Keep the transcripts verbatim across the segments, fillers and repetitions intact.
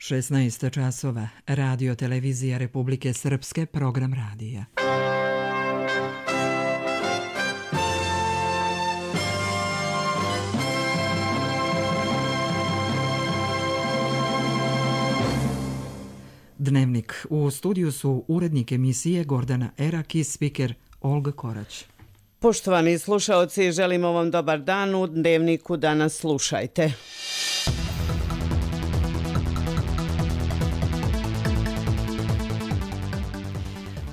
šesnaest časova, Radio Televizija Republike Srpske, program radija. Dnevnik. U studiju su urednik emisije Gordana Erak i spiker Olga Korać. Poštovani slušaoci, želimo vam dobar dan. U Dnevniku danas slušajte.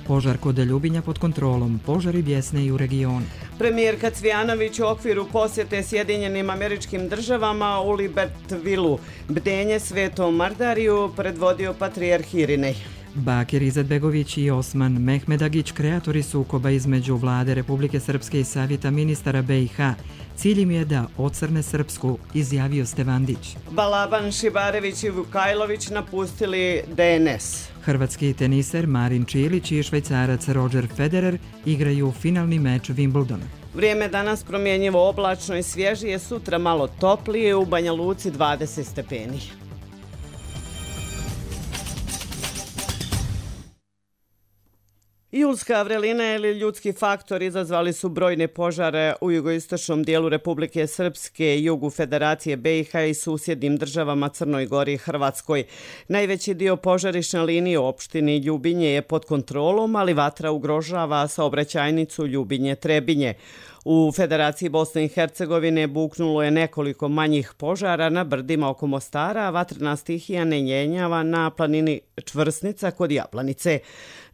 Požar kod Ljubinja pod kontrolom. Požari bjesne i u regionu. Premijerka Cvijanović u okviru posjete Sjedinjenim Američkim Državama u Libertvilu. Bdenje Svetom Mardariju predvodio patrijarh Irinej. Bakir Izetbegović i Osman Mehmedagić, kreatori sukoba između Vlade Republike Srpske i Savjeta ministara B i H. Cilj im je da ocrne Srpsku, izjavio Stevandić. Balaban Šibarević i Vukajlović napustili D N S. Hrvatski teniser Marin Čilić i švajcarac Roger Federer igraju finalni meč Wimbledona. Vrijeme danas promjenjivo oblačno i svježije, sutra malo toplije, u Banja Luci dvadeset stepeni. Julska vrelina ili ljudski faktor izazvali su brojne požare u jugoistočnom dijelu Republike Srpske, jugu Federacije B i H i susjednim državama Crnoj Gori i Hrvatskoj. Najveći dio požarišne linije u opštini Ljubinje je pod kontrolom, ali vatra ugrožava saobraćajnicu Ljubinje-Trebinje. U Federaciji Bosne i Hercegovine buknulo je nekoliko manjih požara na brdima oko Mostara, a vatrena stihija ne jenjava na planini Čvrsnica kod Jablanice.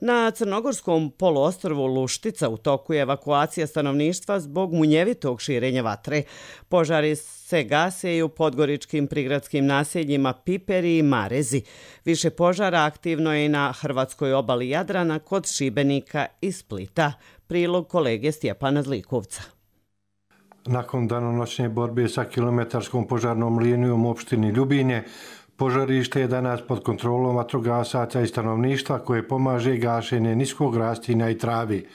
Na crnogorskom poluostrvu Luštica u toku je evakuacija stanovništva zbog munjevitog širenja vatre. Požari se gase i u podgoričkim prigradskim naseljima Piperi i Marezi. Više požara aktivno je i na hrvatskoj obali Jadrana kod Šibenika i Splita. Prilog kolege Stjepana Zlikovca. Nakon danonoćne borbe sa kilometarskom požarnom linijom u opštini Ljubinje, požarište je danas pod kontrolom vatrogasaca i stanovništva koje pomaže gašenje niskog rastinja i travi.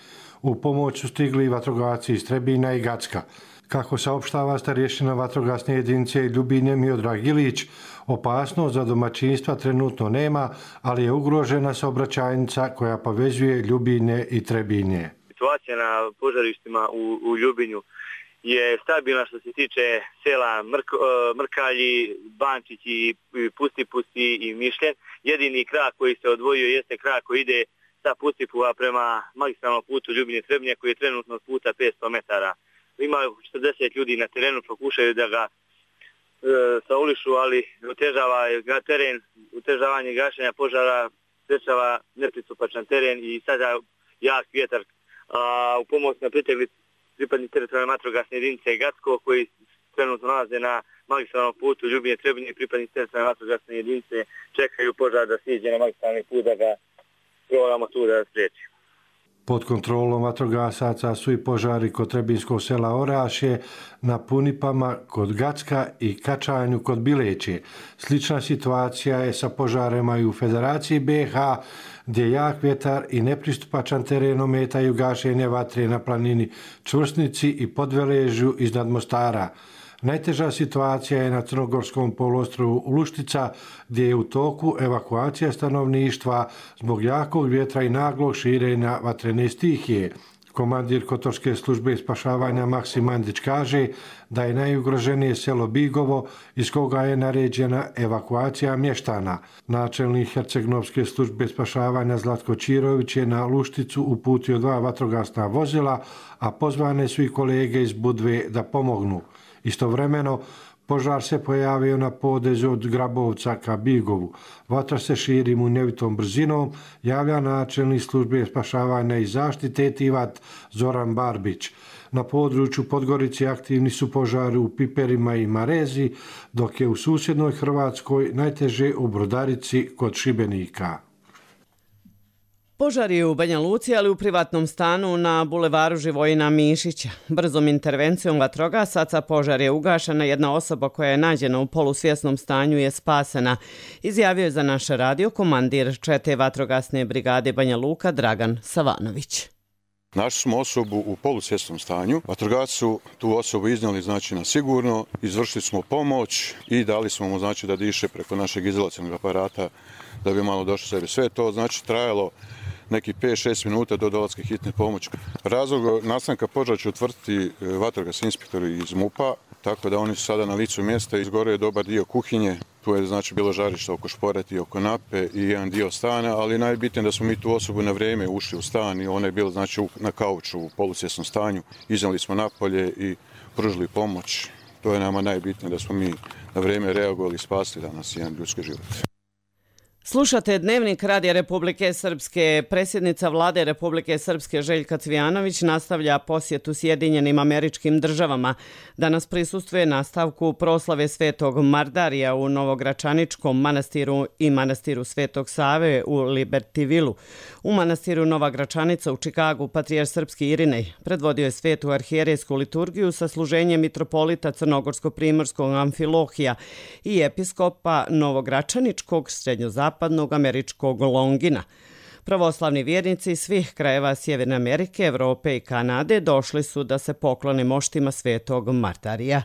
U pomoć su stigli vatrogasci iz Trebinja i Gacka. Kako saopštava starješina vatrogasne jedinice Ljubinje Miodrag Ilić, opasnost za domaćinstva trenutno nema, ali je ugrožena saobraćajnica koja povezuje Ljubinje i Trebinje. Situacija na požarištima u, u Ljubinju je stabilna što se tiče sela Mrk, Mrkalji, Bančić i Pusti Pusti i Mišljen. Jedini krak koji se odvojio jeste krak koji ide sa Pustipuva prema magistralnom putu Ljubinje-Trebinje koji je trenutno puta petsto metara. Ima četrdeset ljudi na terenu, pokušaju da ga e, saulišu, ali otežava ga teren, otežavanje gašenja požara, sprečava nepristupačan teren i sada jak vjetar. A, u pomoć na pritegli pripadni teritorijalne vatrogasne jedinice Gacko koji trenutno nalaze na magistralnom putu Ljubinje-Trebinje i pripadni teritorijalne vatrogasne jedinice čekaju požar da siđe na magistralni put da ga probamo tu da spriječi. Pod kontrolom vatrogasaca su i požari kod Trebinskog sela Orašje, na Punipama kod Gacka i Kačanju kod Bileće. Slična situacija je sa požarima i u Federaciji B i H, gdje jak vjetar i nepristupačan teren ometaju gašenje vatre na planini Čvrsnici i Podveležju iznad Mostara. Najteža situacija je na crnogorskom poluostrvu Luštica, gdje je u toku evakuacija stanovništva zbog jakog vjetra i naglog širenja vatrene stihije. Komandir Kotorske službe spašavanja Maksim Mandić kaže da je najugroženije selo Bigovo iz koga je naređena evakuacija mještana. Načelnik Hercegnovske službe spašavanja Zlatko Čirović je na Lušticu uputio dva vatrogasna vozila, a pozvane su i kolege iz Budve da pomognu. Istovremeno, požar se pojavio na potezu od Grabovca ka Bigovu. Vatra se širi munjevitom brzinom, javlja načelnik službe spašavanja i zaštite Tivat Zoran Barbić. Na području Podgorice aktivni su požari u Piperima i Marezi, dok je u susjednoj Hrvatskoj najteže u Brodarici kod Šibenika. Požar je u Banja Luci, ali u privatnom stanu na bulevaru Živojina Mišića. Brzom intervencijom vatrogasaca požar je ugašen, a jedna osoba koja je nađena u polusvjesnom stanju je spasena. Izjavio je za naš radio komandir čete vatrogasne brigade Banja Luka Dragan Savanović. Našli smo osobu u polusvjesnom stanju. Vatrogasci su tu osobu iznijeli znači, na sigurno, izvršili smo pomoć i dali smo mu znači, da diše preko našeg izolacionog aparata da bi malo došlo sebi. Sve to znači trajalo neki pet šest minuta do dolaska hitne pomoći. Razlog nastanka požara će utvrditi vatrogasni inspektori iz MUP-a, tako da oni su sada na licu mjesta. Izgoreo je dobar dio kuhinje, tu je znači bilo žarište oko šporeti, oko nape i jedan dio stana, ali najbitnije da smo mi tu osobu na vrijeme ušli u stan i ona je bila znači na kauču u polusvjesnom stanju. Iznijeli smo napolje i pružili pomoć. To je nama najbitnije da smo mi na vrijeme reagovali i spasili danas jedan ljudski život. Slušate Dnevnik Radija Republike Srpske. Predsjednica Vlade Republike Srpske Željka Cvijanović nastavlja posjetu Sjedinjenim Američkim Državama. Danas prisustvuje nastavku proslave Svetog Mardarija u Novogračaničkom manastiru i manastiru Svetog Save u Libertyvilu. U manastiru Nova Gračanica u Čikagu patrijarh srpski Irinej predvodio je svetu arhijerejsku liturgiju sa služenjem mitropolita Crnogorsko-primorskog Amfilohija i episkopa Novogračaničkog srednjozapadnog zapadnog američkog Longina. Pravoslavni vjernici svih krajeva Sjeverne Amerike, Evrope i Kanade došli su da se poklone moštima Svetog Mardarija.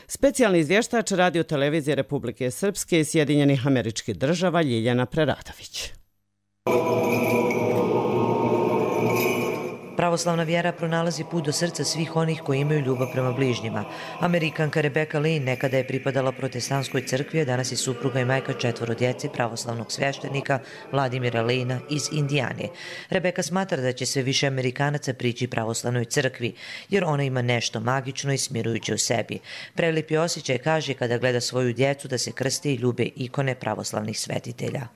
Specijalni izvještač Radio televizije Republike Srpske i Sjedinjenih Američkih Država Ljiljana Preradović. Pravoslavna vjera pronalazi put do srca svih onih koji imaju ljubav prema bližnjima. Amerikanka Rebecca Lee nekada je pripadala protestantskoj crkvi, a danas je supruga i majka četvoro djece pravoslavnog sveštenika Vladimira Lejna iz Indijane. Rebecca smatra da će sve više Amerikanaca prići pravoslavnoj crkvi, jer ona ima nešto magično i smirujuće u sebi. Prelipi osjećaj kaže kada gleda svoju djecu da se krste i ljube ikone pravoslavnih svetitelja.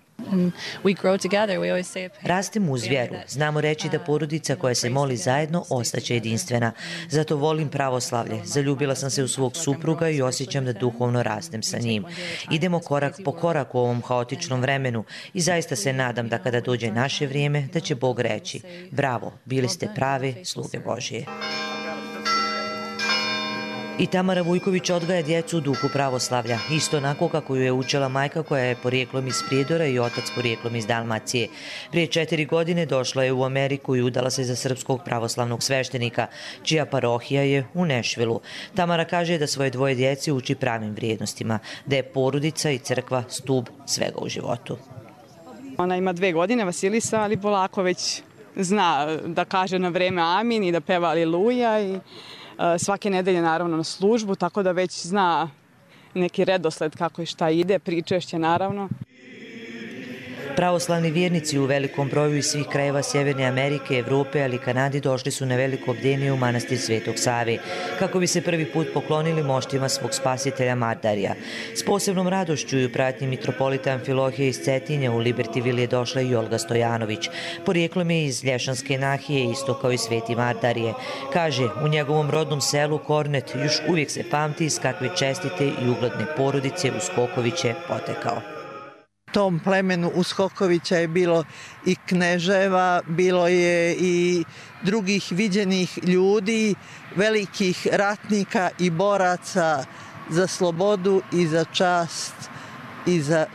Rastemo uz vjeru. Znamo reći da porodica koja se moli zajedno ostaće jedinstvena. Zato volim pravoslavlje. Zaljubila sam se u svog supruga i osjećam da duhovno rastem sa njim. Idemo korak po korak u ovom haotičnom vremenu i zaista se nadam da kada dođe naše vrijeme da će Bog reći: bravo, bili ste prave sluge Božije. I Tamara Vujković odgaja djecu u duhu pravoslavlja, isto onako kako ju je učila majka koja je porijeklom iz Prijedora i otac porijeklom iz Dalmacije. Prije četiri godine došla je u Ameriku i udala se za srpskog pravoslavnog sveštenika, čija parohija je u Nešvilu. Tamara kaže da svoje dvoje djece uči pravim vrijednostima, da je porodica i crkva stub svega u životu. Ona ima dve godine, Vasilisa, ali polako već zna da kaže na vreme amin i da peva aliluja i svake nedelje naravno na službu, tako da već zna neki redosled kako i šta ide, pričešće naravno. Pravoslavni vjernici u velikom broju iz svih krajeva Sjeverne Amerike, Evrope, ali i Kanadi došli su na veliko bdenje u manastir Svetog Save, kako bi se prvi put poklonili moštima svog spasitelja Mardarija. S posebnom radošću i u pratnji mitropolita Amfilohije iz Cetinja u Libertyville je došla i Olga Stojanović. Porijeklom je iz Lješanske nahije, isto kao i Sveti Mardarije. Kaže, u njegovom rodnom selu Kornet još uvijek se pamti iz kakve čestite i ugledne porodice Uskoković je potekao. Tom plemenu Uskokovića je bilo i kneževa, bilo je i drugih viđenih ljudi, velikih ratnika i boraca za slobodu i za čast i za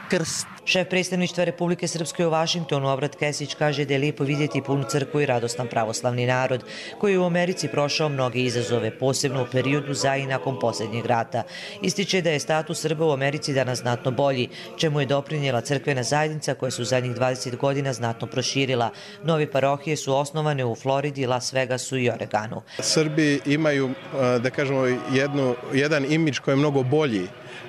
krst. Šef predstavništva Republike Srpske u Vašingtonu, Obrat Kesić, kaže da je lijepo vidjeti punu crkvu i radostan pravoslavni narod, koji je u Americi prošao mnoge izazove, posebno u periodu za i nakon posljednjeg rata. Ističe da je status Srba u Americi danas znatno bolji, čemu je doprinijela crkvena zajednica koja su zadnjih dvadeset godina znatno proširila. Nove parohije su osnovane u Floridi, Las Vegasu i Oregonu. Srbi imaju, da kažemo, jednu, jedan imidž koji je mnogo bolji,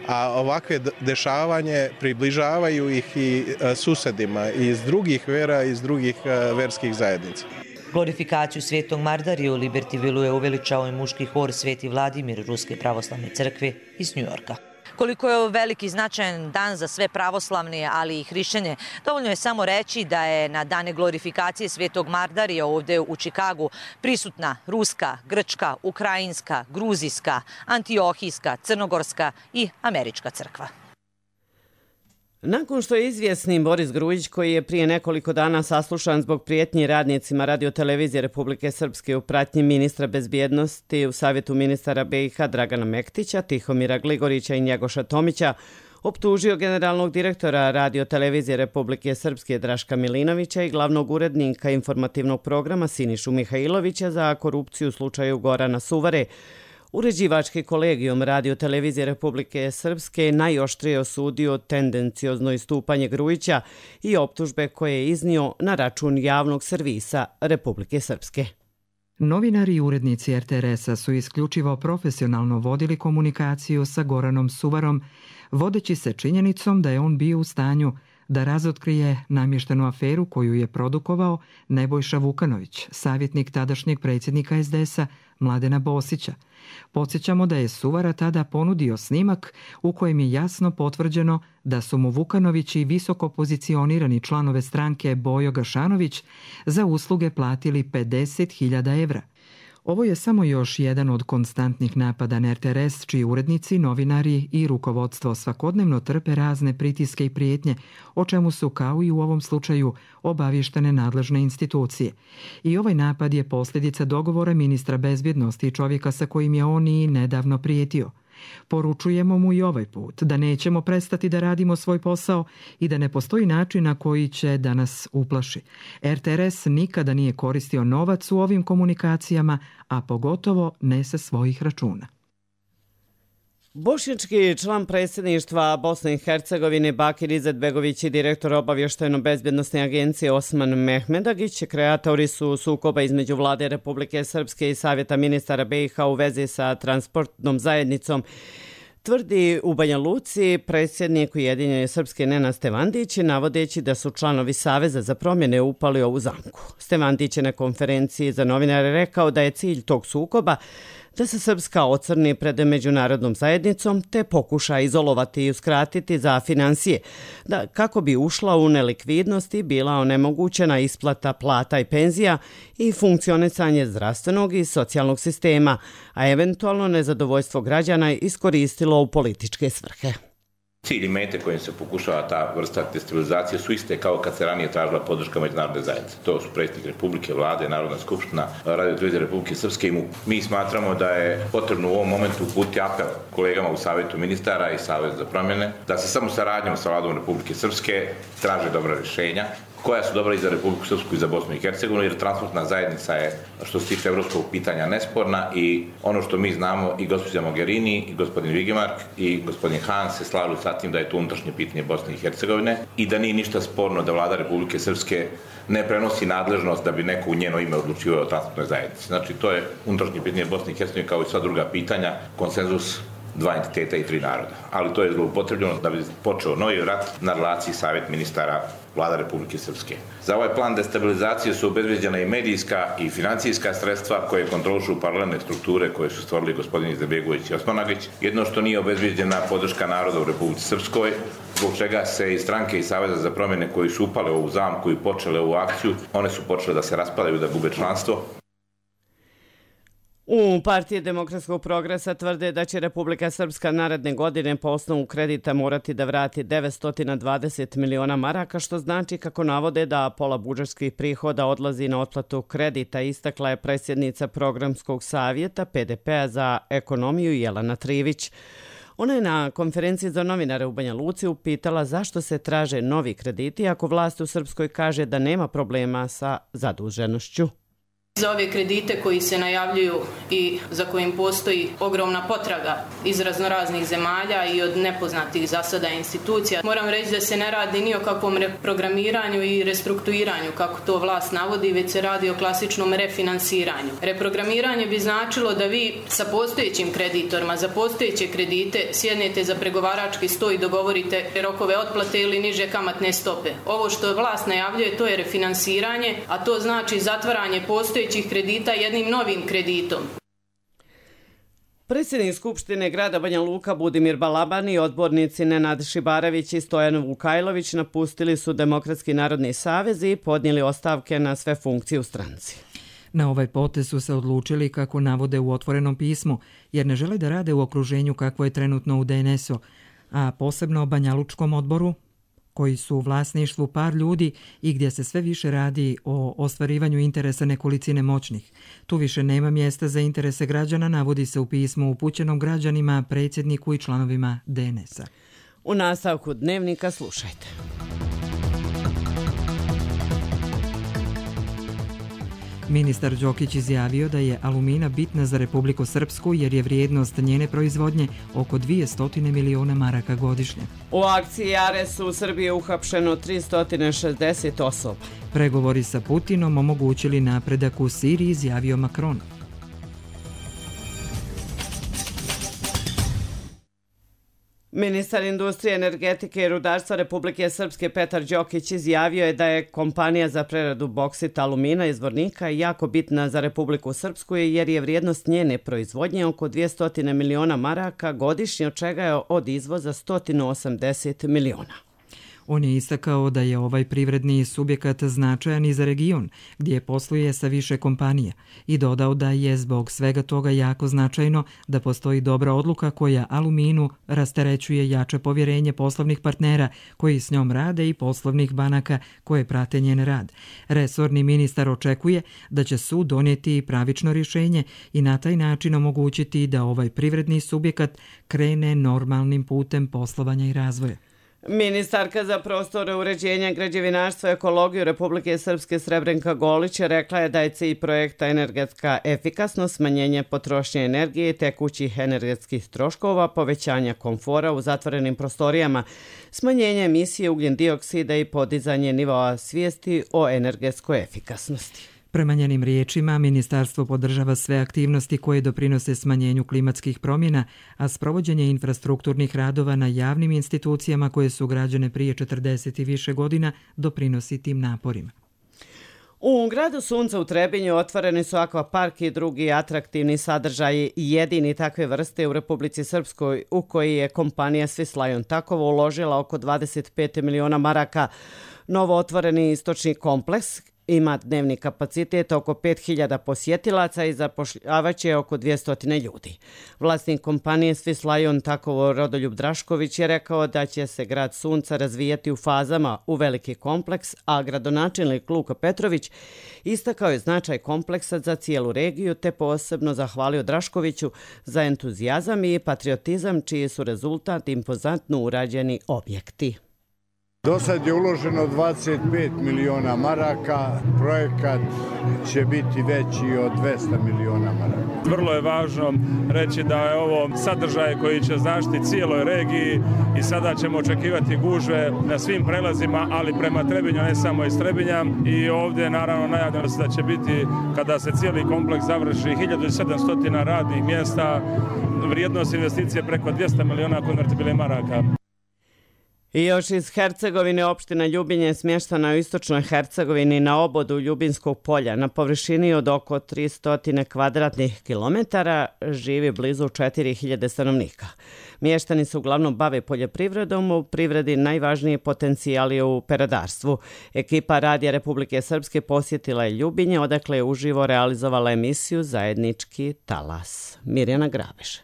a ovakve dešavanje približavaju ih i susedima iz drugih vera, iz drugih verskih zajednica. Glorifikaciju Svetog Mardarija u Libertyvilu je uveličao i muški hor Sveti Vladimir Ruske pravoslavne crkve iz Njujorka. Koliko je veliki značajan dan za sve pravoslavne, ali i hrišćane, dovoljno je samo reći da je na dane glorifikacije Svetog Mardarija ovdje u Čikagu prisutna ruska, grčka, ukrajinska, gruzijska, antiohijska, crnogorska i američka crkva. Nakon što je izvjesni Boris Grujić, koji je prije nekoliko dana saslušan zbog prijetnji radnicima Radio televizije Republike Srpske u pratnji ministra bezbjednosti u Savjetu ministara B i H Dragana Mektića, Tihomira Gligorića i Njegoša Tomića, optužio generalnog direktora Radio televizije Republike Srpske Draška Milinovića i glavnog urednika informativnog programa Sinišu Mihajlovića za korupciju u slučaju Gorana Suvare. Uređivački kolegijum Radio televizije Republike Srpske najoštrije osudio tendenciozno istupanje Grujića i optužbe koje je iznio na račun javnog servisa Republike Srpske. Novinari i urednici er te er esa su isključivo profesionalno vodili komunikaciju sa Goranom Suvarom, vodeći se činjenicom da je on bio u stanju da razotkrije namještenu aferu koju je produkovao Nebojša Vukanović, savjetnik tadašnjeg predsjednika es de esa Mladena Bosića. Podsjećamo da je Suvara tada ponudio snimak u kojem je jasno potvrđeno da su mu Vukanović i visoko pozicionirani članove stranke Bojo Gašanović za usluge platili pedeset hiljada evra. Ovo je samo još jedan od konstantnih napada na er te er es, čiji urednici, novinari i rukovodstvo svakodnevno trpe razne pritiske i prijetnje, o čemu su, kao i u ovom slučaju, obavještene nadležne institucije. I ovaj napad je posljedica dogovora ministra bezbjednosti i čovjeka sa kojim je on i nedavno prijetio. Poručujemo mu i ovaj put da nećemo prestati da radimo svoj posao i da ne postoji način na koji će da nas uplaši. er te er es nikada nije koristio novac u ovim komunikacijama, a pogotovo ne sa svojih računa. Bošnjački član predsjedništva Bosne i Hercegovine Bakir Izetbegović i direktor obavještajno-bezbjednosne agencije Osman Mehmedagić, kreatori su sukoba između vlade Republike Srpske i Savjeta ministara be i ha u vezi sa transportnom zajednicom, tvrdi u Banja Luci predsjednik Ujedinjene Srpske Nenad Stevandić, navodeći da su članovi Saveza za promjene upali ovu zamku. Stevandić je na konferenciji za novinare rekao da je cilj tog sukoba da se Srpska ocrni pred međunarodnom zajednicom te pokuša izolovati i uskratiti za finansije, da kako bi ušla u nelikvidnost i bila onemogućena isplata plata i penzija i funkcionisanje zdravstvenog i socijalnog sistema, a eventualno nezadovoljstvo građana iskoristilo u političke svrhe. Cilj i mete kojim se pokušava ta vrsta destabilizacije su iste kao kad se ranije tražila podrška međunarodne zajednice. To su predsjednik Republike, vlade, Narodna skupština, Radio televizije Republike Srpske i MUP. Mi smatramo da je potrebno u ovom momentu uputiti apel kolegama u Savjetu ministara i Savjetu za promjene da se samo saradnjom sa vladom Republike Srpske traže dobra rješenja koja su dobra i za Republiku Srpsku i za Bosnu i Hercegovinu, jer transportna zajednica je, što se tiče evropskog pitanja, nesporna i ono što mi znamo i gospođa Mogherini i gospodin Vigemark i gospodin Han se slažu sa tim da je to unutrašnje pitanje Bosne i Hercegovine i da nije ništa sporno da vlada Republike Srpske ne prenosi nadležnost da bi neko u njeno ime odlučivao o transportnoj zajednici. Znači, to je unutrašnje pitanje Bosne i Hercegovine kao i sva druga pitanja, konsenzus dva entiteta i tri naroda. Ali to je zloupotrebljeno da bi počeo novi rat na relaciji Savjet ministara vlada Republike Srpske. Za ovaj plan destabilizacije su obezbeđena i medijska i financijska sredstva koje kontrolišu paralelne strukture koje su stvorili gospodin Izetbegović i Osmanagić. Jedno što nije obezbeđena podrška naroda u Republici Srpskoj, zbog čega se i stranke i Saveza za promjene koji su upale u ovu zamku i počele ovu akciju, one su počele da se raspadaju, da gube članstvo. U Partiji demokratskog progresa tvrde da će Republika Srpska naredne godine po osnovu kredita morati da vrati devetsto dvadeset miliona maraka, što znači, kako navode, da pola budžetskih prihoda odlazi na otplatu kredita, istakla je predsjednica Programskog savjeta pe de pe-a za ekonomiju Jelena Trivić. Ona je na konferenciji za novinare u Banja Luci upitala zašto se traže novi krediti ako vlast u Srpskoj kaže da nema problema sa zaduženošću. Za ove kredite koji se najavljuju i za kojim postoji ogromna potraga iz raznoraznih zemalja i od nepoznatih za sada institucija, moram reći da se ne radi ni o kakvom reprogramiranju i restrukturiranju, kako to vlast navodi, već se radi o klasičnom refinansiranju. Reprogramiranje bi značilo da vi sa postojećim kreditorima za postojeće kredite sjednete za pregovarački sto i dogovorite rokove otplate ili niže kamatne stope. Ovo što vlast najavljuje, to je refinansiranje, a to znači zatvaranje postojećih kredita jednim novim kreditom. Predsjednik Skupštine grada Banja Luka Budimir Balaban i odbornici Nenad Šibarević i Stojan Vukajlović napustili su Demokratski narodni savez i podnijeli ostavke na sve funkcije u stranci. Na ovaj potez su se odlučili, kako navode u otvorenom pismu, jer ne žele da rade u okruženju kakvo je trenutno u de en es u, a posebno o Banjalučkom odboru, koji su u vlasništvu par ljudi i gdje se sve više radi o ostvarivanju interesa nekolicine moćnih. Tu više nema mjesta za interese građana, navodi se u pismu upućenom građanima, predsjedniku i članovima de en es a. U nastavku dnevnika slušajte. Ministar Đokić izjavio da je alumina bitna za Republiku Srpsku jer je vrijednost njene proizvodnje oko dvjesto miliona maraka godišnje. U akciji Ares u Srbiji je uhapšeno tristo šezdeset osoba. Pregovori sa Putinom omogućili napredak u Siriji, izjavio Macron. Ministar industrije, energetike i rudarstva Republike Srpske Petar Đokić izjavio je da je kompanija za preradu boksita alumina iz Zvornika jako bitna za Republiku Srpsku jer je vrijednost njene proizvodnje oko dvjesto miliona maraka godišnje, od čega je od izvoza sto osamdeset miliona. On je istakao da je ovaj privredni subjekat značajan i za region, gdje posluje sa više kompanija, i dodao da je zbog svega toga jako značajno da postoji dobra odluka koja aluminu rasterećuje jače povjerenje poslovnih partnera koji s njom rade i poslovnih banaka koje prate njen rad. Resorni ministar očekuje da će sud donijeti pravično rješenje i na taj način omogućiti da ovaj privredni subjekat krene normalnim putem poslovanja i razvoja. Ministarka za prostore uređenja, građevinarstva i ekologiju Republike Srpske Srebrenka Golić rekla je da je cilj projekta energetska efikasnost, smanjenje potrošnje energije i tekućih energetskih troškova, povećanja komfora u zatvorenim prostorijama, smanjenje emisije ugljen dioksida i podizanje nivoa svijesti o energetskoj efikasnosti. Prema njenim riječima, ministarstvo podržava sve aktivnosti koje doprinose smanjenju klimatskih promjena, a sprovođenje infrastrukturnih radova na javnim institucijama koje su građene prije četrdeset i više godina doprinosi tim naporima. U gradu Sunca u Trebinju otvoreni su akvapark i drugi atraktivni sadržaji, jedini takve vrste u Republici Srpskoj, u koji je kompanija Swiss Lion Takovo uložila oko dvadeset pet miliona maraka. Novo otvoreni istočni kompleks ima dnevni kapacitet oko pet hiljada posjetilaca i zapošljavaće oko dvjesto ljudi. Vlasnik kompanije Swiss Lion Takovo Rodoljub Drašković je rekao da će se grad Sunca razvijati u fazama u veliki kompleks, a gradonačelnik Luka Petrović istakao je značaj kompleksa za cijelu regiju te posebno zahvalio Draškoviću za entuzijazam i patriotizam čiji su rezultat impozantno urađeni objekti. Do sad je uloženo dvadeset pet miliona maraka, projekat će biti veći od dvjesto miliona maraka. Vrlo je važno reći da je ovo sadržaj koji će zaštiti cijeloj regiji i sada ćemo očekivati gužve na svim prelazima, ali prema Trebinju, ne samo iz Trebinja. I ovdje naravno najavljeno se da će biti, kada se cijeli kompleks završi, hiljadu sedamsto radnih mjesta, vrijednost investicije preko dvjesto miliona konvertibilnih maraka. I još iz Hercegovine, opština Ljubinje je smještena u istočnoj Hercegovini na obodu Ljubinskog polja. Na površini od oko tristo kvadratnih kilometara živi blizu četiri hiljade stanovnika. Mještani se uglavnom bave poljoprivredom, u privredi najvažniji potencijal je u peradarstvu. Ekipa Radija Republike Srpske posjetila je Ljubinje, odakle je uživo realizovala emisiju Zajednički talas. Mirjana Grabeš.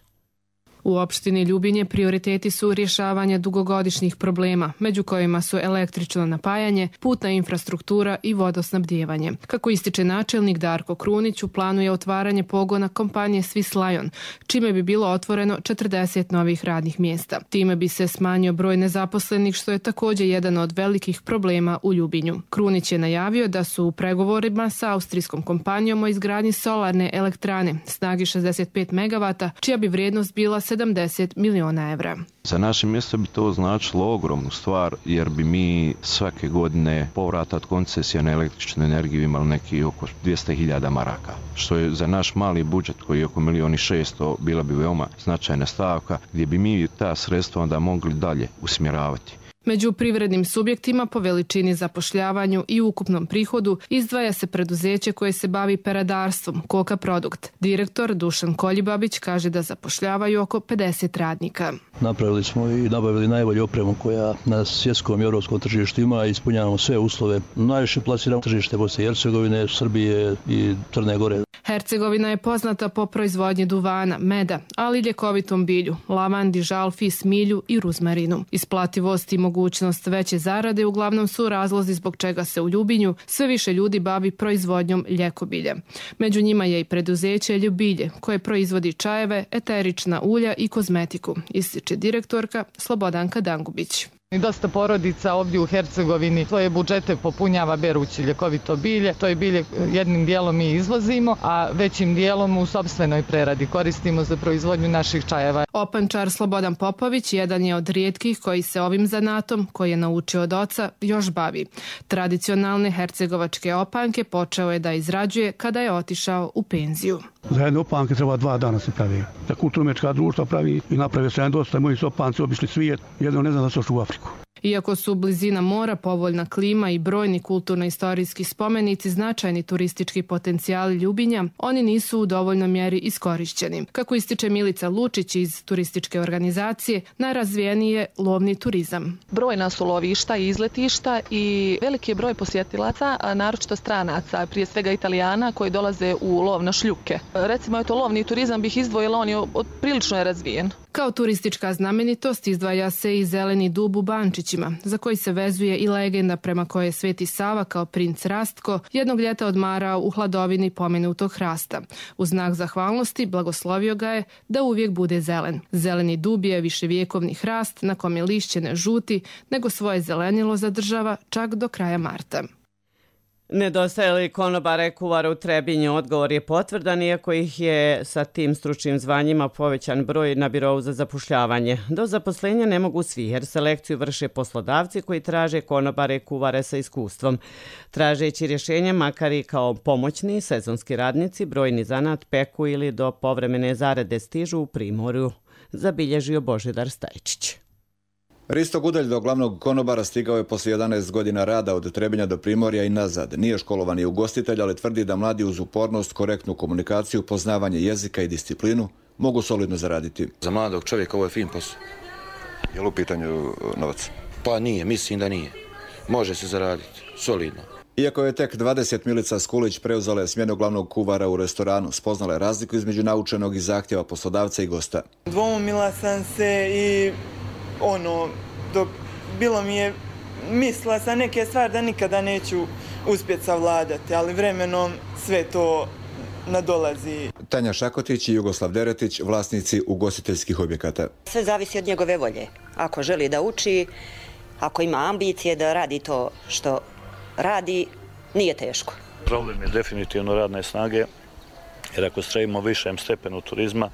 U opštini Ljubinje prioriteti su rješavanje dugogodišnjih problema, među kojima su električno napajanje, putna infrastruktura i vodosnabdijevanje. Kako ističe načelnik Darko Krunić, u planu je otvaranje pogona kompanije Swiss Lion, čime bi bilo otvoreno četrdeset novih radnih mjesta. Time bi se smanjio broj nezaposlenih, što je također jedan od velikih problema u Ljubinju. Krunić je najavio da su u pregovorima sa austrijskom kompanijom o izgradnji solarne elektrane snagi šezdeset pet megavata, čija bi vrijednost bila sedamdeset miliona evra. Za naše mjesto bi to značilo ogromnu stvar, jer bi mi svake godine povrata od koncesija na električnu energiju imali neki oko dvjesto hiljada maraka, što je za naš mali budžet koji je oko milijon i šesto bila bi veoma značajna stavka, gdje bi mi ta sredstva onda mogli dalje usmjeravati. Među privrednim subjektima po veličini zapošljavanju i ukupnom prihodu izdvaja se preduzeće koje se bavi peradarstvom, Koka Produkt. Direktor Dušan Koljibabić kaže da zapošljavaju oko pedeset radnika. Napravili smo i nabavili najbolju opremu koja na svjetskom i europskom tržištu ima i ispunjavamo sve uslove. Najviše plasiramo tržište Bosne i Hercegovine, Srbije i Crne Gore. Hercegovina je poznata po proizvodnji duvana, meda, ali i ljekovitom bilju, lavandi, žalfi, smilju i ruzmarinu. Isplativost i mogućnosti mogućnost veće zarade uglavnom su razlozi zbog čega se u Ljubinju sve više ljudi bavi proizvodnjom ljekobilja. Među njima je i preduzeće Ljubilje, koje proizvodi čajeve, eterična ulja i kozmetiku, ističe direktorka Slobodanka Dangubić. I dosta porodica ovdje u Hercegovini svoje budžete popunjava berući ljekovito bilje. To je bilje jednim dijelom mi izvozimo, a većim dijelom u sopstvenoj preradi koristimo za proizvodnju naših čajeva. Opančar Slobodan Popović jedan je od rijetkih koji se ovim zanatom, koji je naučio od oca, još bavi. Tradicionalne hercegovačke opanke počeo je da izrađuje kada je otišao u penziju. Za jedne opanke treba dva dana se pravi. Za kulturno-umjetnička društva pravi i napravio se jedan dosta. Moji su opanci obišli svijet, jedno ne znam da su ošli u Afriku. Iako su blizina mora, povoljna klima i brojni kulturno-istorijski spomenici značajni turistički potencijali Ljubinja, oni nisu u dovoljnoj mjeri iskorišćeni. Kako ističe Milica Lučić iz turističke organizacije, najrazvijeniji je lovni turizam. Brojna su lovišta i izletišta i veliki je broj posjetilaca, naročito stranaca, prije svega Italijana koji dolaze u lov na šljuke. Recimo, eto, lovni turizam bih izdvojila, on je prilično je razvijen. Kao turistička znamenitost izdvaja se i zeleni dub u Bančićima, za koji se vezuje i legenda prema kojoj je Sveti Sava kao princ Rastko jednog ljeta odmarao u hladovini pomenutog hrasta. U znak zahvalnosti blagoslovio ga je da uvijek bude zelen. Zeleni dub je viševjekovni hrast na kome lišće ne žuti, nego svoje zelenilo zadržava čak do kraja marta. Nedostaje li konobara i kuvara u Trebinju? Odgovor je potvrdan, iako ih je sa tim stručnim zvanjima povećan broj na birou za zapošljavanje. Do zaposlenja ne mogu svi, jer selekciju vrše poslodavci koji traže konobare i kuvare sa iskustvom. Tražeći rješenje, makar i kao pomoćni sezonski radnici, brojni zanat peku ili do povremene zarade stižu u Primorju, zabilježio Božidar Stajčić. Risto Gudelj do glavnog konobara stigao je poslije jedanaest godina rada od Trebinja do Primorja i nazad. Nije školovani ugostitelj, ali tvrdi da mladi uz upornost, korektnu komunikaciju, poznavanje jezika i disciplinu mogu solidno zaraditi. Za mladog čovjeka ovo je fin posao. Je li u pitanju novac? Pa nije, mislim da nije. Može se zaraditi, solidno. Iako je tek dvadeset, Milica Skulić preuzela je smjenu glavnog kuvara u restoranu. Spoznala je razliku između naučenog i zahtjeva poslodavca i gosta. Dvoumila sam se i ono, dok bilo mi je, mislila sam neke stvari da nikada neću uspjeti savladati, ali vremenom sve to nadolazi. Tanja Šakotić i Jugoslav Deretić, vlasnici ugostiteljskih objekata. Sve zavisi od njegove volje. Ako želi da uči, ako ima ambicije da radi to što radi, nije teško. Problem je definitivno radne snage, jer ako stremimo višem stepenu turizma,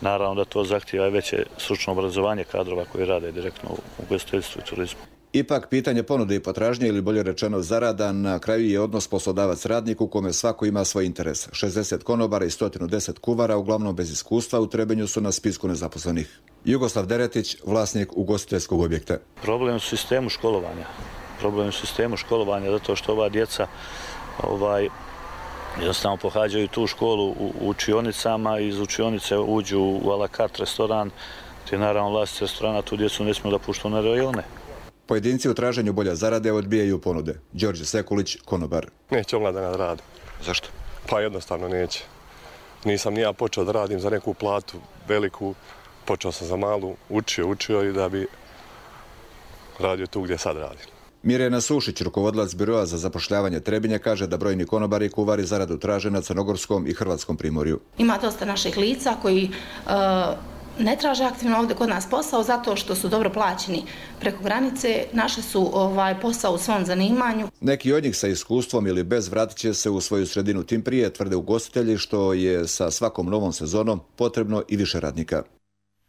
naravno da to zahtijeva veće stručno obrazovanje kadrova koji rade direktno u ugostiteljstvu i turizmu. Ipak, pitanje ponude i potražnje, ili bolje rečeno zarada, na kraju je odnos poslodavac-radnik u kome svako ima svoj interes. šezdeset konobara i sto deset kuvara, uglavnom bez iskustva, u Trebinju su na spisku nezaposlenih. Jugoslav Deretić, vlasnik ugostiteljskog objekta. Problem u sistemu školovanja. Problem u sistemu školovanja zato što ova djeca ovaj, jednostavno pohađaju tu školu u učionicama i iz učionice uđu u a la carte restoran, te naravno vlasnici restorana tu djecu ne smiju da puštu na rajone. Pojedinci u traženju bolja zarade odbijaju ponude. Đorđe Sekulić, konobar. Neće omladina da radi. Zašto? Pa jednostavno neće. Nisam ni ja počeo da radim za neku platu veliku, počeo sam za malu, učio, učio i da bi radio tu gdje sad radim. Mirjana Sušić, rukovodilac biroa za zapošljavanje Trebinja, kaže da brojni konobari i kuvari zaradu traže na crnogorskom i hrvatskom primorju. Ima dosta naših lica koji uh, ne traže aktivno ovdje kod nas posao zato što su dobro plaćeni preko granice, našli su ovaj posao u svom zanimanju. Neki od njih sa iskustvom ili bez vratit će se u svoju sredinu tim prije, tvrde ugostitelji, što je sa svakom novom sezonom potrebno i više radnika.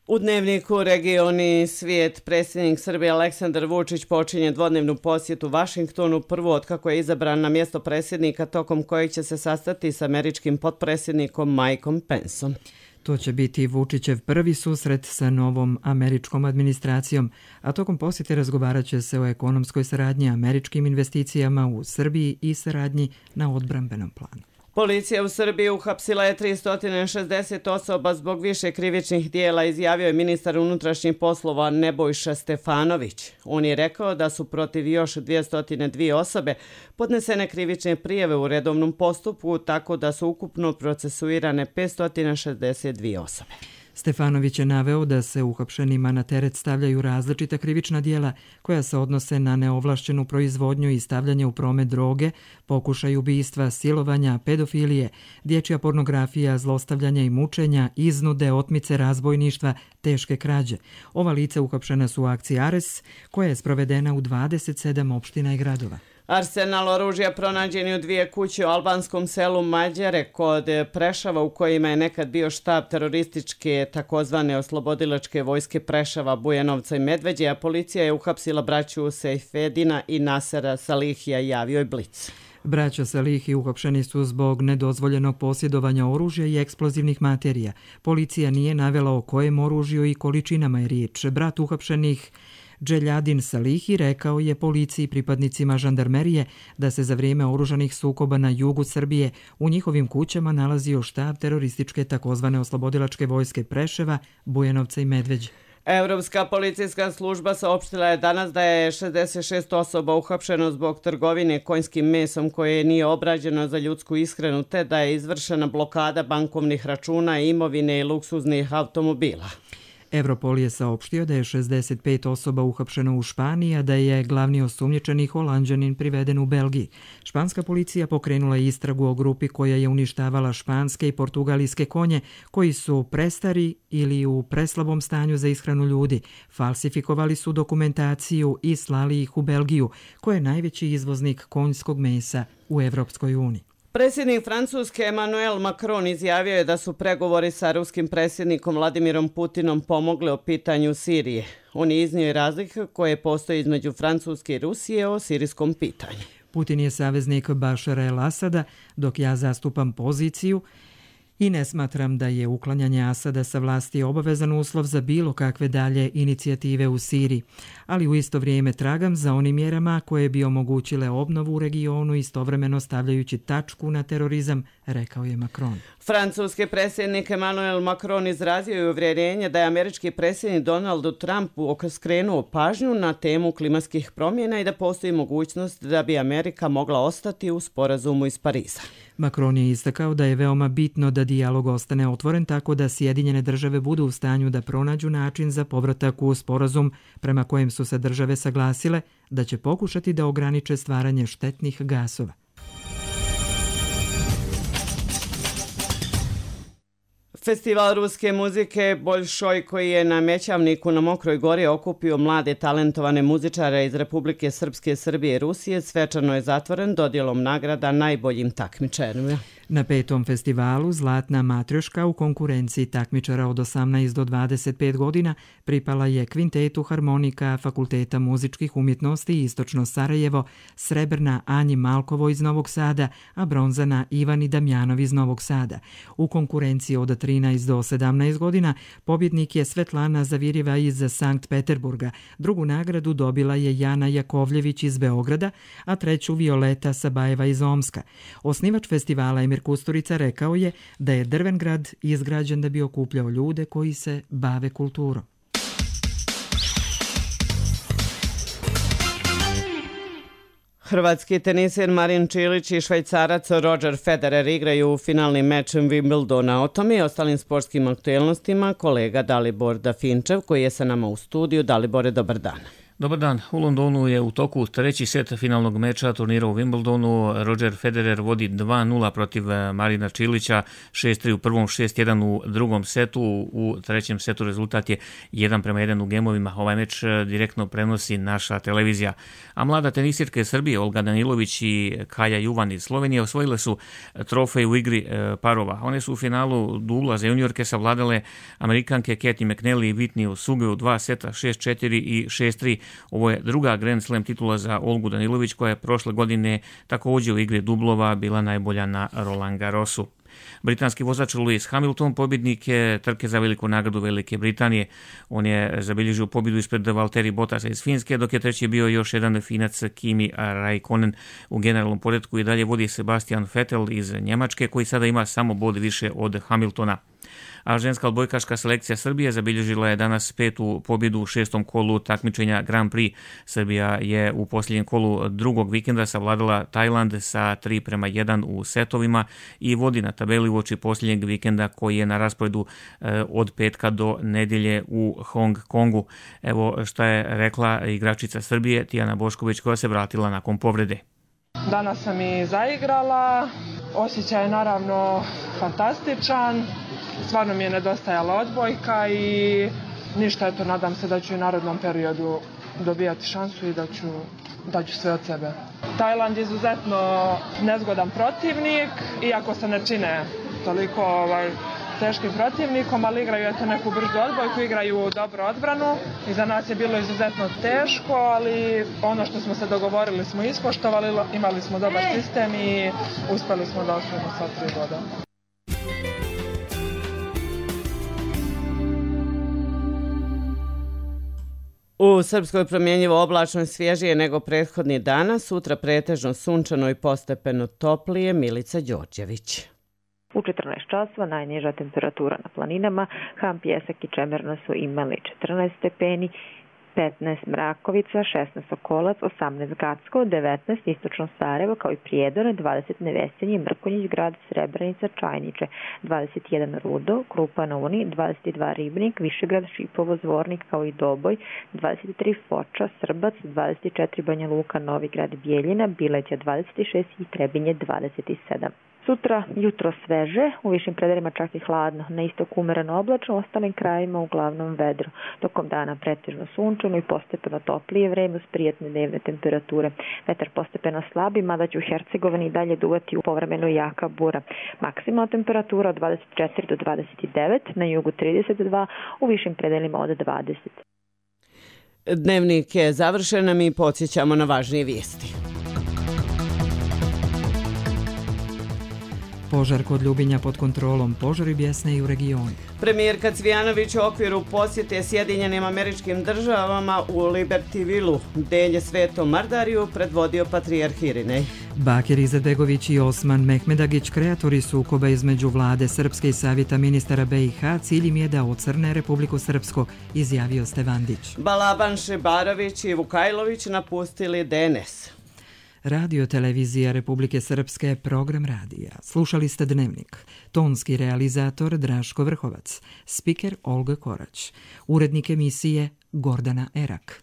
U dnevniku Regioni svijet predsjednik Srbije Aleksandar Vučić počinje dvodnevnu posjetu Vašingtonu, prvo od kako je izabran na mjesto predsjednika, tokom kojeg će se sastati s američkim potpredsjednikom Mikeom Penceom. To će biti Vučićev prvi susret sa novom američkom administracijom, a tokom posjete razgovarat će se o ekonomskoj saradnji, američkim investicijama u Srbiji i saradnji na odbrambenom planu. Policija u Srbiji uhapsila je tristo šezdeset osoba zbog više krivičnih dijela, izjavio je ministar unutrašnjih poslova Nebojša Stefanović. On je rekao da su protiv još dvjesto dvije osobe podnesene krivične prijave u redovnom postupku, tako da su ukupno procesuirane petsto šezdeset dvije osobe. Stefanović je naveo da se uhapšenima na teret stavljaju različita krivična dijela koja se odnose na neovlašćenu proizvodnju i stavljanje u promet droge, pokušaj ubistva, silovanja, pedofilije, dječja pornografija, zlostavljanja i mučenja, iznude, otmice, razbojništva, teške krađe. Ova lica uhapšena su u akciji Ares, koja je sprovedena u dvadeset sedam opština i gradova. Arsenal oružja pronađen je u dvije kuće u albanskom selu Mađare kod Prešava u kojima je nekad bio štab terorističke takozvane oslobodilačke vojske Prešava, Bujanovca i Medveđe, a policija je uhapsila braću Sejfedina i Nasera Salihija, javio je Blic. Braća Salihi uhapšeni su zbog nedozvoljenog posjedovanja oružja i eksplozivnih materija. Policija nije navela o kojem oružju i količinama je riječ. Brat uhapšenih Dželjadin Salihi rekao je policiji i pripadnicima žandarmerije da se za vrijeme oružanih sukoba na jugu Srbije u njihovim kućama nalazio štab terorističke takozvane oslobodilačke vojske Preševa, Bujanovca i Medveđe. Europska policijska služba saopštila je danas da je šezdeset šest osoba uhapšeno zbog trgovine konjskim mesom koje nije obrađeno za ljudsku ishranu, te da je izvršena blokada bankovnih računa, imovine i luksuznih automobila. Europol je saopštio da je šezdeset pet osoba uhapšeno u Španiji, a da je glavni osumnjičeni Holanđanin priveden u Belgiji. Španska policija pokrenula istragu o grupi koja je uništavala španske i portugalijske konje koji su prestari ili u preslabom stanju za ishranu ljudi. Falsifikovali su dokumentaciju i slali ih u Belgiju, koja je najveći izvoznik konjskog mesa u Evropskoj uniji. Predsjednik Francuske Emmanuel Macron izjavio je da su pregovori sa ruskim predsjednikom Vladimirom Putinom pomogli o pitanju Sirije. On je iznio i razlike koje postoje između Francuske i Rusije o sirijskom pitanju. Putin je saveznik Bašara el-Asada, dok ja zastupam poziciju i ne smatram da je uklanjanje Asada sa vlasti obavezan uslov za bilo kakve dalje inicijative u Siriji, ali u isto vrijeme tragam za onim mjerama koje bi omogućile obnovu u regionu, istovremeno stavljajući tačku na terorizam, rekao je Macron. Francuski predsjednik Emmanuel Macron izrazio je uvjerenje da je američki predsjednik Donald Trump skrenuo pažnju na temu klimatskih promjena i da postoji mogućnost da bi Amerika mogla ostati u sporazumu iz Pariza. Macron je istakao da je veoma bitno da dijalog ostane otvoren tako da Sjedinjene države budu u stanju da pronađu način za povratak u sporazum prema kojem su se države saglasile da će pokušati da ograniče stvaranje štetnih gasova. Festival ruske muzike Boljšoj, koji je na Mećavniku na Mokroj gori okupio mlade talentovane muzičare iz Republike Srpske, Srbije i Rusije, svečano je zatvoren dodjelom nagrada najboljim takmičarima. Na petom festivalu Zlatna matrioška u konkurenciji takmičara od osamnaest do dvadeset pet godina pripala je kvintetu harmonika Fakulteta muzičkih umjetnosti Istočno Sarajevo, srebrna Anji Malkovo iz Novog Sada, a bronzana Ivani Damjanov iz Novog Sada. U konkurenciji od trinaest do sedamnaest godina pobjednik je Svetlana Zavirjeva iz Sankt Peterburga. Drugu nagradu dobila je Jana Jakovljević iz Beograda, a treću Violeta Sabajeva iz Omska. Osnivač festivala Emir Kusturica rekao je da je Drvengrad izgrađen da bi okupljao ljude koji se bave kulturom. Hrvatski teniser Marin Čilić i Švajcarac Roger Federer igraju u finalni meč Wimbledona. O tome i ostalim sportskim aktuelnostima kolega Dalibor Dafinčev koji je sa nama u studiju. Dalibore, dobar dan. Dobar dan. U Londonu je u toku treći set finalnog meča turnira u Wimbledonu. Roger Federer vodi dva nula protiv Marina Čilića, šest tri u prvom, šest jedan u drugom setu. U trećem setu rezultat je jedan prema jedan u gemovima. Ovaj meč direktno prenosi naša televizija. A mlada tenisirka iz Srbije, Olga Danilović i Kaja Juvan iz Slovenije, osvojile su trofej u igri parova. One su u finalu dubla za juniorke savladale Amerikanke Katie McNally i Whitney Suge u dva seta, šest četiri i šest tri. Ovo je druga Grand Slam titula za Olgu Danilović, koja je prošle godine također u igri dublova bila najbolja na Roland Garrosu. Britanski vozač Lewis Hamilton pobjednik je trke za veliku nagradu Velike Britanije. On je zabilježio pobjedu ispred Valtteri Bottasa iz Finske, dok je treći bio još jedan Finac Kimi Raikkonen. U generalnom poretku i dalje vodi Sebastian Vettel iz Njemačke, koji sada ima samo bod više od Hamiltona. A ženska odbojkaška selekcija Srbije zabilježila je danas petu pobjedu u šestom kolu takmičenja Grand Prix. Srbija je u posljednjem kolu drugog vikenda savladala Tajland sa tri prema jedan u setovima i vodi na tabeli uoči posljednjeg vikenda koji je na rasporedu od petka do nedjelje u Hong Kongu. Evo šta je rekla igračica Srbije Tijana Bošković koja se vratila nakon povrede. Danas sam i zaigrala, osjećaj je naravno fantastičan, stvarno mi je nedostajala odbojka i ništa, eto, nadam se da ću u narodnom periodu dobijati šansu i da ću, da ću sve od sebe. Tajland je izuzetno nezgodan protivnik, iako se ne čine toliko ovaj, teškim protivnikom, ali igraju eto neku brzu odbojku, igraju dobru odbranu i za nas je bilo izuzetno teško, ali ono što smo se dogovorili smo ispoštovali, imali smo dobar sistem i uspjeli smo da osvojimo sva tri boda. U Srpskoj promjenjivo oblačno i svježije nego prethodni dana, sutra pretežno sunčano i postepeno toplije. Milica Đorđević. U četrnaest časova najniža temperatura na planinama, Ham, Pjesak i Čemerno su imali četrnaest stepeni, petnaest Mrakovica, šesnaest Sokolac, osamnaest Gacko, devetnaest Istočno Sarajevo, kao i Prijedor, dvadeset Nevesinje, Mrkonjić Grad, Srebrenica, Čajniče, dvadeset jedan Rudo, Krupa na Uni, dvadeset dva Ribnik, Višegrad, Šipovo, Zvornik, kao i Doboj, dvadeset tri Foča, Srbac, dvadeset četiri Banja Luka, Novi Grad, Bijeljina, Bileća dvadeset šest i Trebinje dvadeset sedam. Sutra jutro sveže, u višim predelima čak i hladno, na istoku umereno oblačno, u ostalim krajima uglavnom vedro. Tokom dana pretežno sunčano i postepeno toplije vreme uz prijatne dnevne temperature. Vetar postepeno slabi, mada će u Hercegovini i dalje duvati u povremeno jaka bura. Maksimalna temperatura od dvadeset četiri do dvadeset devet, na jugu trideset dva, u višim predelima od dvadeset. Dnevnik je završen, a mi podsjećamo na važnije vijesti. Požar kod Ljubinja pod kontrolom, požari bjesne i u regionu. Premijerka Cvijanović u okviru posjete Sjedinjenim Američkim Državama u Libertyvilu, Delje Svetom Mardariju, predvodio patrijarh Irinej. Bakir Izetbegović i Osman Mehmedagić, kreatori sukoba između vlade Srpske i Savjeta ministara B i H, cilj im je da ocrne Republiku Srpsku, izjavio Stevandić. Balaban Šebarović i Vukajlović napustili D N S. Radio Televizija Republike Srpske, program radija. Slušali ste Dnevnik. Tonski realizator Draško Vrhovac. Spiker Olga Korać. Urednik emisije Gordana Erak.